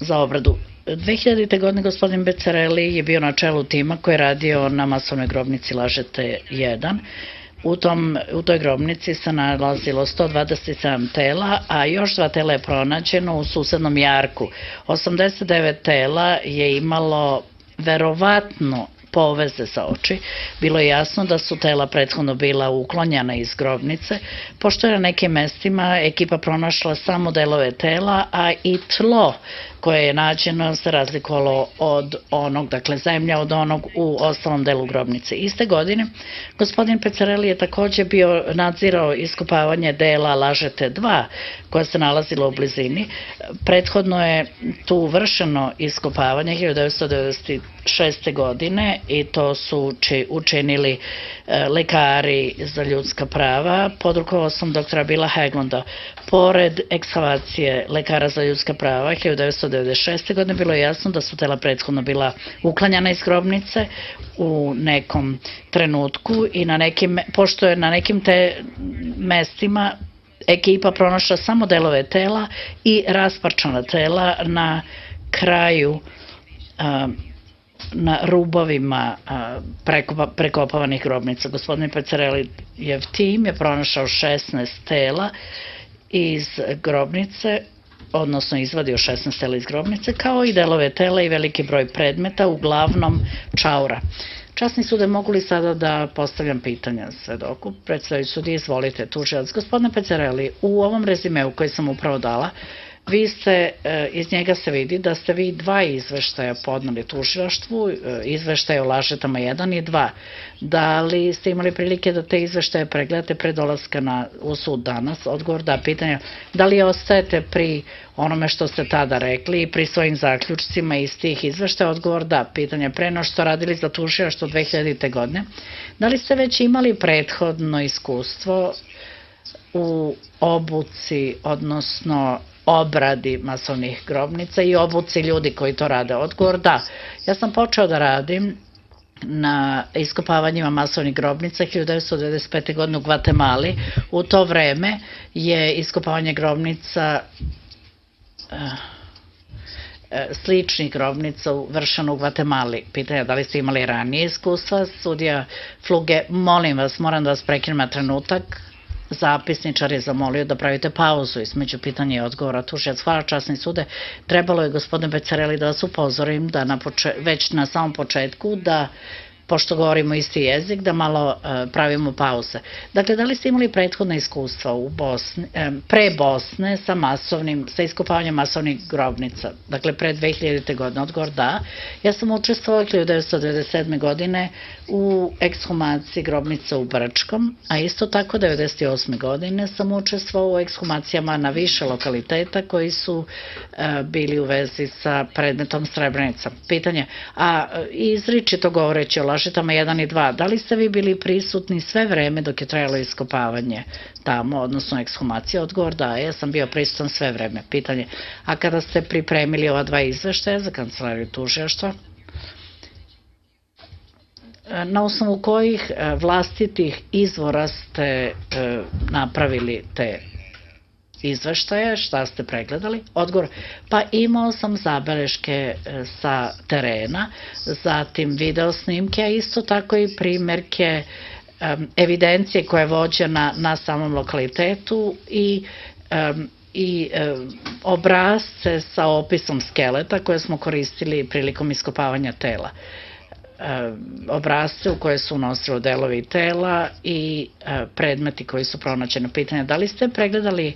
za obradu. 2000. godine gospodin Becarelli je bio na čelu tima koji je radio na masovnoj grobnici Lažete 1. U toj grobnici se nalazilo 127 tela, a još 2 tela je pronađeno u susednom jarku. 89 tela je imalo verovatno poveze za oči. Bilo je jasno da su tela prethodno bila uklonjena iz grobnice, pošto je na nekim mestima ekipa pronašla samo delove tela, a i tlo koje je nađeno se razlikovalo od onog, dakle zemlja od onog u ostalom delu grobnice. Iste godine gospodin Becarelli je takođe bio nadzirao iskopavanje dela Lažete 2 koja se nalazila u blizini. Prethodno je tu vršeno iskopavanje 1996. godine i to su učinili lekari za ljudska prava pod rukovodstvom doktora Billa Haglunda. Pored ekskavacije lekara za ljudska prava 1996. godine bilo je jasno da su tela prethodno bila uklanjana iz grobnice u nekom trenutku i pošto je na nekim te mestima ekipa pronašla samo delove tela i rasparčana tela na kraju na rubovima prekopavanih grobnica. Gospodin Becarellijev tim je pronašao 16 tela iz grobnice, odnosno izvadio 16 tela iz grobnice, kao i delove tela i veliki broj predmeta, uglavnom čaura. Časni sude, mogu li sada da postavljam pitanja svedoku? Predstavljajući sudije, izvolite, tužilac. Gospodine Becarelli, u ovom rezimeu koji sam upravo dala, iz njega se vidi da ste vi 2 izveštaja podneli tužilaštvu, izveštaje o Lažetama 1 i 2. Da li ste imali prilike da te izveštaje pregledate pre dolaska u sud danas? Odgovor da. Pitanje, da li ostajete pri onome što ste tada rekli i pri svojim zaključcima iz tih izveštaja? Odgovor da. Pitanje, pre no što radili za tužilaštvo 2000. godine, da li ste već imali prethodno iskustvo u obuci, odnosno obradi masovnih grobnica i obuci ljudi koji to rade? Odgovor da. Ja sam počeo da radim na iskopavanjima masovnih grobnica 1995. godine u Gvatemali. U to vreme je iskopavanje grobnica sličnih grobnica vršeno u Gvatemali. Pitanje, da li ste imali ranije iskustva? Sudija Fluge, molim vas, moram da vas prekinem na trenutak. Zapisničar je zamolio da pravite pauzu između pitanja i odgovora. Tužilac, hvala, časni sude. Trebalo je, gospodine Becarelli, da vas upozorim da već na samom početku da, pošto govorimo isti jezik, da malo pravimo pauze. Dakle, da li ste imali prethodna iskustva pre Bosne sa iskopavanjem masovnih grobnica? Dakle, pre 2000. godine. Odgovor da. Ja sam učestvovao 1997. godine u ekshumaciji grobnica u Brčkom, a isto tako 1998. godine sam učestvovao u ekshumacijama na više lokaliteta koji su bili u vezi sa predmetom Srebrenica. Pitanje, a izričito govoreći o Lažetama 1 i 2, da li ste vi bili prisutni sve vreme dok je trajalo iskopavanje tamo, odnosno ekshumacija? Odgovor da, ja sam bio prisutan sve vreme. Pitanje, a kada ste pripremili ova 2 izveštaja za kancelariju tužilaštva, na osnovu kojih vlastitih izvora ste napravili te izveštaje, šta ste pregledali? Odgovor, pa imao sam zabeleške sa terena, zatim video snimke, a isto tako i primerke evidencije koja je vođena na samom lokalitetu i obrazce sa opisom skeleta koje smo koristili prilikom iskopavanja tela. Obrazce u koje su unosili delovi tela i predmeti koji su pronađeni. Pitanje, da li ste pregledali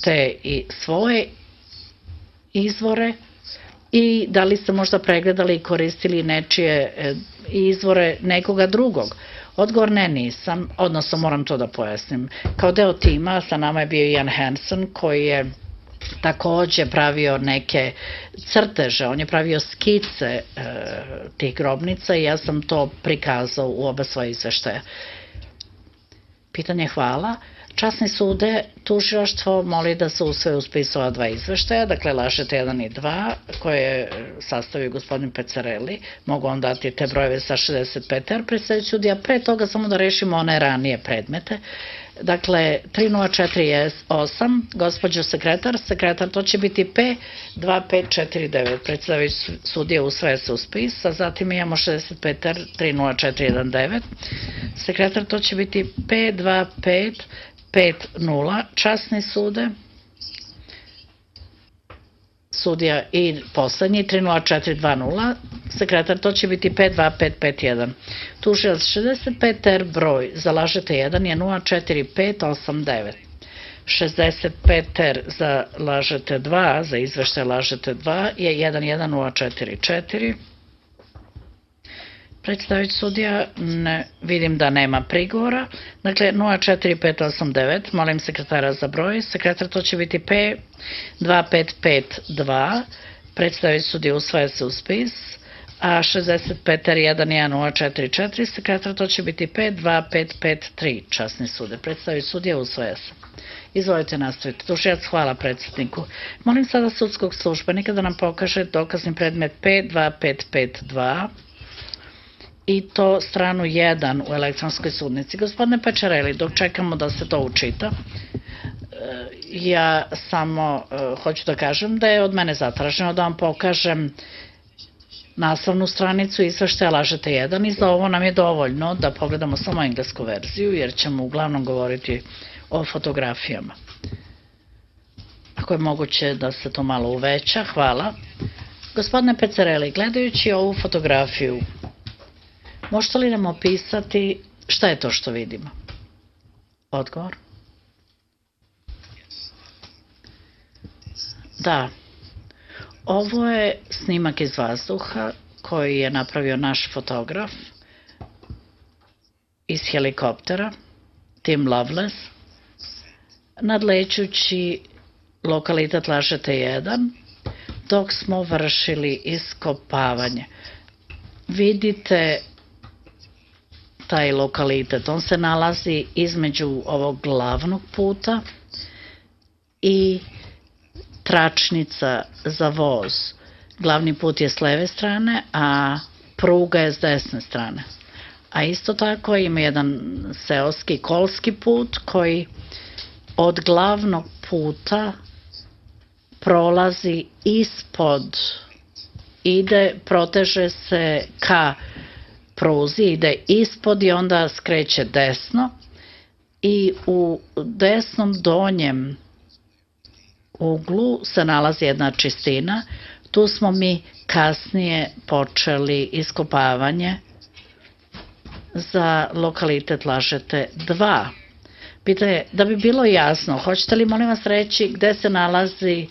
te i svoje izvore i da li ste možda pregledali i koristili nečije izvore nekoga drugog? Odgovor ne, nisam, odnosno moram to da pojasnim. Kao deo tima sa nama je bio Ian Hansen koji je takođe pravio neke crteže, on je pravio skice tih grobnica i ja sam to prikazao u oba svoje izveštaja. Pitanje, hvala. Časni sude, tužilaštvo moli da se usvoje u spisu ova 2 izveštaja, dakle Lažete 1 i 2, koje je sastavio gospodin Becarelli. Mogu vam dati te brojeve sa 65, jer predstavljajući sudija pre toga samo da rešimo one ranije predmete. Dakle, 3048, gospođo sekretar, to će biti P2549, predstavljajući sudije usvaja se u spis, a zatim imamo 65R 30419, sekretar, to će biti P2550, časni sude, sudija i poslednji 30420, sekretar, to će biti P2551. Tužilac 65R broj, zalažete 1 je 04589. 65R zalažete 2, za izveštaj lažete 2 je 11044. Predstavljajući sudija, vidim da nema prigovora. Dakle, 04589, molim sekretara za broj. Sekretar, to će biti P2552, predstavljajući sudija usvaja se u spis, a 65R11044, sekretar, to će biti P2553, časni sude. Predstavljajući sudija usvaja se. Izvolite nastaviti. Tužilac, hvala predsedniku. Molim sada sudskog službenika da nam pokaže dokazni predmet P2552, i to stranu 1 u elektronskoj sudnici. Gospodine Pečareli, dok čekamo da se to učita, ja samo hoću da kažem da je od mene zatraženo da vam pokažem naslovnu stranicu izveštaja lažete 1 i za ovo nam je dovoljno da pogledamo samo englesku verziju, jer ćemo uglavnom govoriti o fotografijama. Ako je moguće da se to malo uveća, hvala. Gospodine Pecareli, gledajući ovu fotografiju, možete li nam opisati šta je to što vidimo? Odgovor? Da. Ovo je snimak iz vazduha koji je napravio naš fotograf iz helikoptera, Tim Loveless, nadlećući lokalitet Lažete 1, dok smo vršili iskopavanje. Vidite taj lokalitet, on se nalazi između ovog glavnog puta i tračnica za voz. Glavni put je s leve strane, a pruga je s desne strane. A isto tako ima jedan seoski kolski put koji od glavnog puta prolazi ispod, proteže se ka pruzi, ide ispod i onda skreće desno i u desnom donjem uglu se nalazi jedna čistina. Tu smo mi kasnije počeli iskopavanje za lokalitet Lažete 2. Pitanje, da bi bilo jasno, hoćete li molim vas reći gde se nalazi,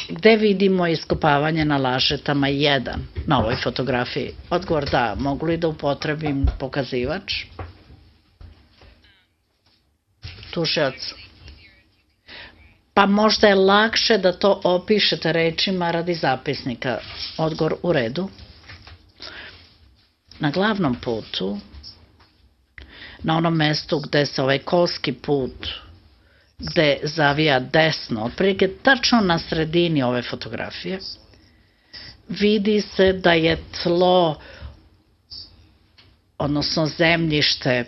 gde vidimo iskopavanje na Lažetama 1 na ovoj fotografiji? Odgovor da, mogu li da upotrebim pokazivač? Tužilac. Pa možda je lakše da to opišete rečima radi zapisnika. Odgovor u redu. Na glavnom putu, na onom mestu gde se ovaj kolski put, gde zavija desno, otprilike tačno na sredini ove fotografije, vidi se da je tlo, odnosno zemljište,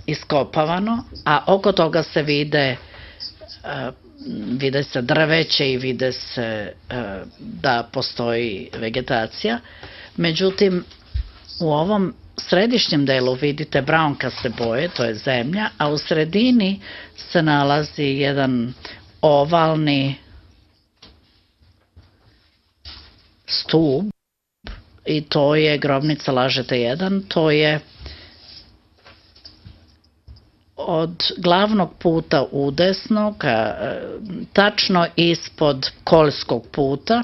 iskopavano, a oko toga se vide se drveće i vide se da postoji vegetacija. Međutim, u ovom središnjem delu vidite braunkaste boje, to je zemlja, a u sredini se nalazi jedan ovalni stub i to je grobnica Lažete 1, to je od glavnog puta udesno, tačno ispod kolskog puta,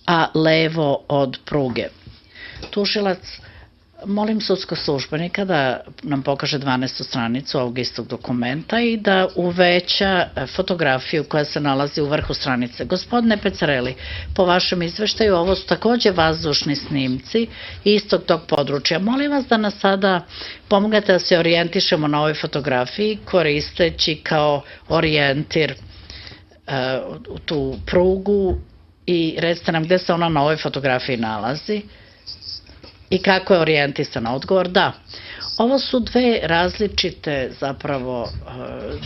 a levo od pruge. Tužilac, molim sudskog službenika da nam pokaže 12. stranicu ovog istog dokumenta i da uveća fotografiju koja se nalazi u vrhu stranice. Gospodine Pecareli, po vašem izveštaju ovo su takođe vazdušni snimci istog tog područja. Molim vas da nas sada pomognete da se orijentišemo na ovoj fotografiji koristeći kao orijentir tu prugu i recite nam gde se ona na ovoj fotografiji nalazi i kako je orijentisana. Odgovor da. Ovo su dve različite, zapravo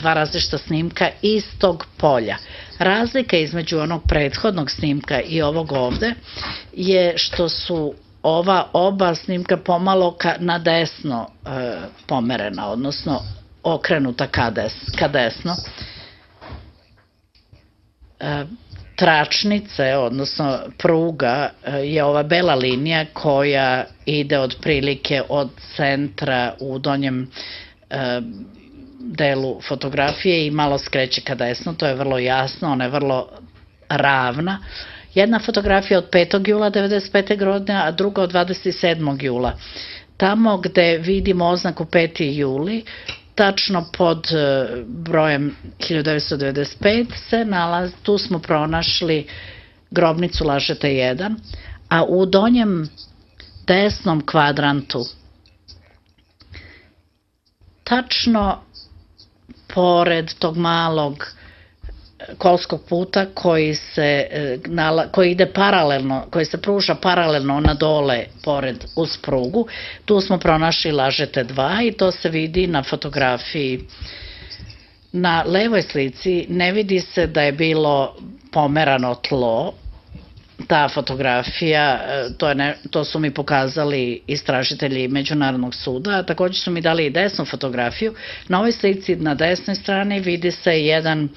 dva različita snimka istog polja. Razlika između onog prethodnog snimka i ovog ovde je što su ova oba snimka pomalo na desno pomerena, odnosno okrenuta ka desno. Tračnice, odnosno pruga, je ova bela linija koja ide otprilike od centra u donjem delu fotografije i malo skreće ka desno, to je vrlo jasno, ona je vrlo ravna. Jedna fotografija od 5. jula 1995. godine, a druga od 27. jula. Tamo gde vidimo oznaku 5. juli, tačno pod brojem 1995 se nalazi, tu smo pronašli grobnicu Lažete 1, a u donjem desnom kvadrantu, tačno pored tog malog kolskog puta koji ide paralelno, koji se pruža paralelno na dole pored uz prugu, tu smo pronašli Lažete 2 i to se vidi na fotografiji. Na levoj slici ne vidi se da je bilo pomerano tlo, ta fotografija, to su mi pokazali istražitelji Međunarodnog suda, a takođe su mi dali i desnu fotografiju. Na ovoj slici na desnoj strani vidi se jedan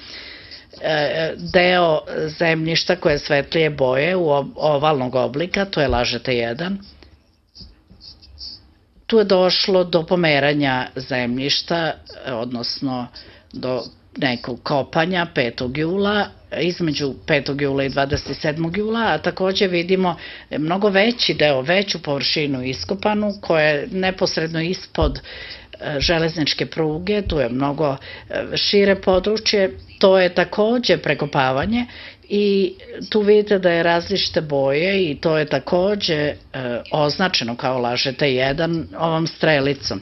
deo zemljišta koje je svetlije boje u ovalnog oblika, to je Lažete 1. Tu je došlo do pomeranja zemljišta, odnosno do nekog kopanja 5. jula, između 5. jula i 27. jula, a takođe vidimo mnogo veći deo, veću površinu iskopanu koja je neposredno ispod železničke pruge, tu je mnogo šire područje, to je takođe prekopavanje i tu vidite da je različite boje i to je takođe označeno kao Lažete 1 ovom strelicom.